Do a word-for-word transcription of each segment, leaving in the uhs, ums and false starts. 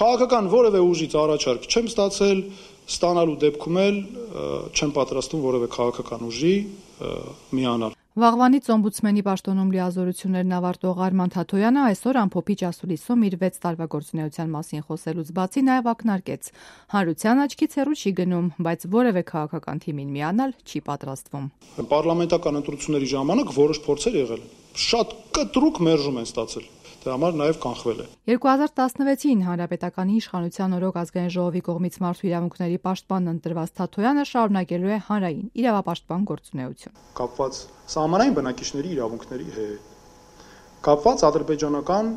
Քաղաքական որևէ ուժից առաջարկ չեմ ստացել, ստանալու դեպքում էլ չեմ պատրաստվում որևէ քաղաքական ուժի միանալ։ Վաղվանից օմբուդսմենի պաշտոնում լիազորություններն ավարտող Արման Թաթոյանը այսօր ամփոփիչ ասուլիսում իր վեց տարվա գործունեության մասին խոսելուց բացի նաև ակնարկեց. հանրության աչքից հեռու չի գնում, բայց որևէ քաղաքական թիմին միանալ չի պատրաստվում։ Պարլամենտական ընտրությունների ժամանակ որոշ փորձեր եղել, շատ կտրուկ մերժում են ստացել։ Դրա համար նաև կանխվել է։ երկու հազար տասնվեցին Հանրապետականի իշխանության օրոք ազգային ժողովի կողմից մարդու իրավունքների պաշտպանն ընտրված Թաթոյանը շարունակելու է հանրային իրավապաշտպան գործունեություն։ Կապված սահմանային բնակիչների իրավունքների հետ, կապված ադրբեջանական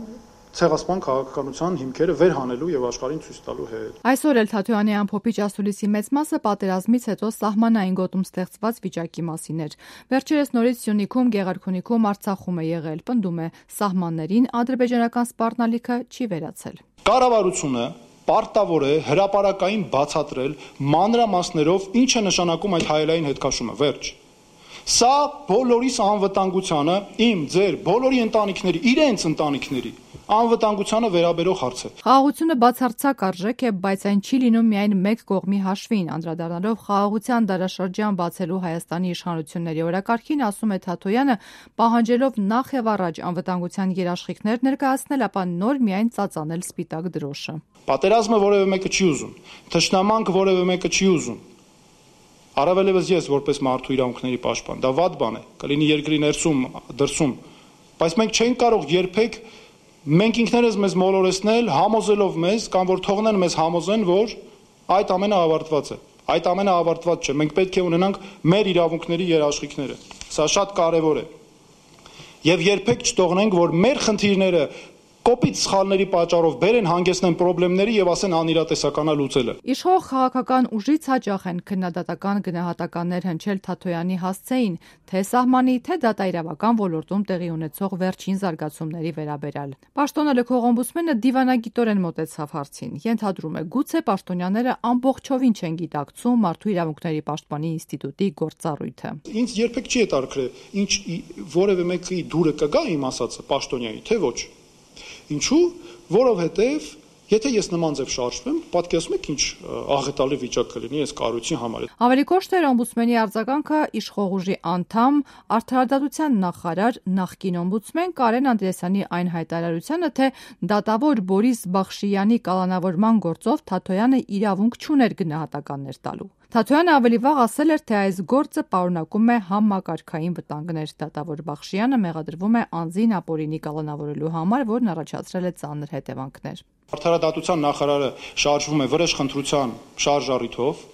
ցեղասպան քաղաքականության հիմքերը վերհանելու եւ աշխարհին ցույց տալու հետ։ Այսօր էլ Թաթոյանի ամփոփիչ ասուլիսի մեծ մասը պատերազմից հետո սահմանային գոտում ստեղծված վիճակի մասին էր։ Վերջերս նորից Սյունիքում, Գեղարքունիքում, Արցախում է եղել, պնդում է, սահմաններին ադրբեջանական սպառնալիքը չի վերացել։ Կառավարությունը պարտավոր է հրապարակային բացատրել մանրամասներով ինչ է նշանակում այդ հայելային հետքաշումը, վերջ։ Սա բոլորիս անվտանգությանը, իմ, ձեր, բոլորի ընտանիքների, իրենց ընտանիքների անվտանգությանը վերաբերող հարց է։ Խաղաղությունը բացարձակ արժեք է, բայց այն չի լինում միայն մեկ կողմի հաշվին, անդրադառնալով խաղաղության դարաշրջան բացելու Հայաստանի իշխանությունների օրակարգին, ասում է Թաթոյանը, պահանջելով նախ եւ առաջ անվտանգության երաշխիքներ ներկայացնել, ապա նոր միայն ծածանել սպիտակ դրոշը։ Պատերազմը որևէ մեկը չի ուզում, թշնամանք որևէ մեկը չի ուզում։ Առավելևս ես որպես մարդու իրավունքների պաշտպան, դա վատ բան է, կլինի երկրի ներսում, դրսում, բայց մենք չենք կարող երբեք մենք ինքներս մեզ մոլորեցնել, համոզելով մեզ կամ որ թողնեն մեզ համոզեն, որ այդ ամենը ավարտված է։ Այդ ամենը ավարտված չէ։ Մենք պետք է ունենանք մեր իրավունքների երաշխիքները։ Սա շատ կարևոր է։ Եվ երբեք չթողնենք, որ մեր խնդիրները կոպիտ սխալների պատճառով բերեն հանգեցնեն խնդիրների եւ ասեն անիրատեսականա լուծելը։ Իշխող քաղաքական ուժից հաճախ են քննադատական գնահատականներ հնչել Թաթոյանի հասցեին, թե սահմանի, թե դատաիրավական ոլորտում տեղի ունեցող վերջին զարգացումների վերաբերյալ։ Պաշտոնը լքող օմբուդսմենը դիվանագիտորեն մոտեցավ հարցին, ենթադրում է, գուցե պաշտոնյաները ամբողջովին չեն գիտակցում մարդու իրավունքների պաշտպանի ինստիտուտի գործառույթը։ Ինձ երբեք չի հետաքրքրել, ինչ որևէ մեկի դուրը կգա իմ ասածը պաշտոնյայի, թե ոչ։ Ինչու՞, որովհետև եթե ես նման ձև շարժվեմ, պատկերացնում եք ինչ աղետալի վիճակ կլինի այս կառույցի համար։ Ավելի կոշտ էր օմբուդսմենի արձագանքը իշխող ուժի անդամ, արդարադատության նախարար, նախկին օմբուդսմեն Կարեն Անդրեասյանի այն հայտարարությանը, թե դատավոր Բորիս Բախշյանի կալանավորման գործով Թաթոյանը իրավունք չուներ գնահատականներ տալու։ Թաթոյանը ավելի վաղ ասել էր, թե այս գործը պարունակում է համակարգային վտանգներ։ Դատավոր Բախշյանը մեղադրվում է անձին ապօրինի կալանավորելու համար, որն առաջացրել է ծանր հետևանքներ։ Արդարադատության նախարարը շարժվում է վրեժխնդրության շարժառիթով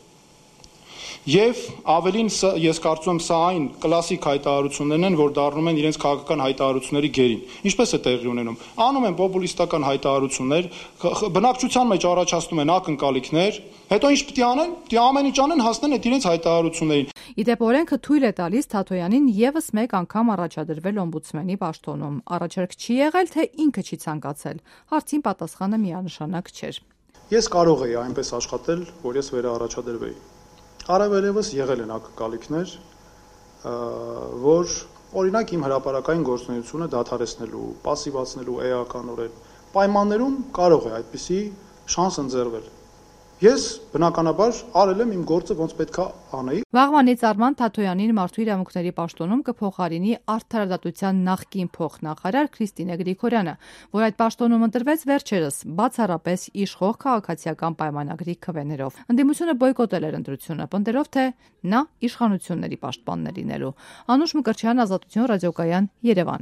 եւ ավելին ես կարծում եմ սա այն կլասիկ հայտարարություններն են, որ դառնում են իրենց քաղաքական հայտարարությունների գերին։ Ինչպես է տեղի ունենում։ Անում են պոպուլիստական հայտարարություններ, բնակչության մեջ առաջացնում են ակնկալիքներ, հետո ինչ պետք է անեն, պետք է ամեն ինչ անեն հասնեն այդ իրենց հայտարարություններին։ Իդեպ օրենքը թույլ է տալիս Թաթոյանին եւս մեկ անգամ առաջադրվել օմբուդսմենի պաշտոնում։ Առաջարկ չի եղել, թե ինքը չի ցանկացել։ Հարցին պատասխանը միանշանակ չէր։ Ես կարող էի այնպես աշխատել, որ ես վերաառաջադրվեի։ Առավելևս եղել են ակնկալիքներ, որ օրինակ իմ հրապարակային գործունեությունը դադարեցնելու, պասիվացնելու էականորեն պայմաններում կարող է այդպիսի շանս ընձեռվել։ Ես բնականաբար արել եմ իմ գործը ոնց պետք է անեի։ Վաղվանից Արման Թաթոյանին մարդու իրավունքների պաշտոնում կփոխարինի արդարադատության նախկին փոխնախարար Քրիստինե Գրիգորյանը, որ այդ պաշտոնում ընտրվեց վերջերս բացառապես իշխող քաղաքացիական պայմանագրի քվեներով։ Ընդդիմությունը բոյկոտել էր ընտրությունը, պնդելով, թե նա իշխանությունների պաշտպանն է լինելու։ Անուշ Մկրտչյան, Ազատություն ռադիոկայան, Երևան։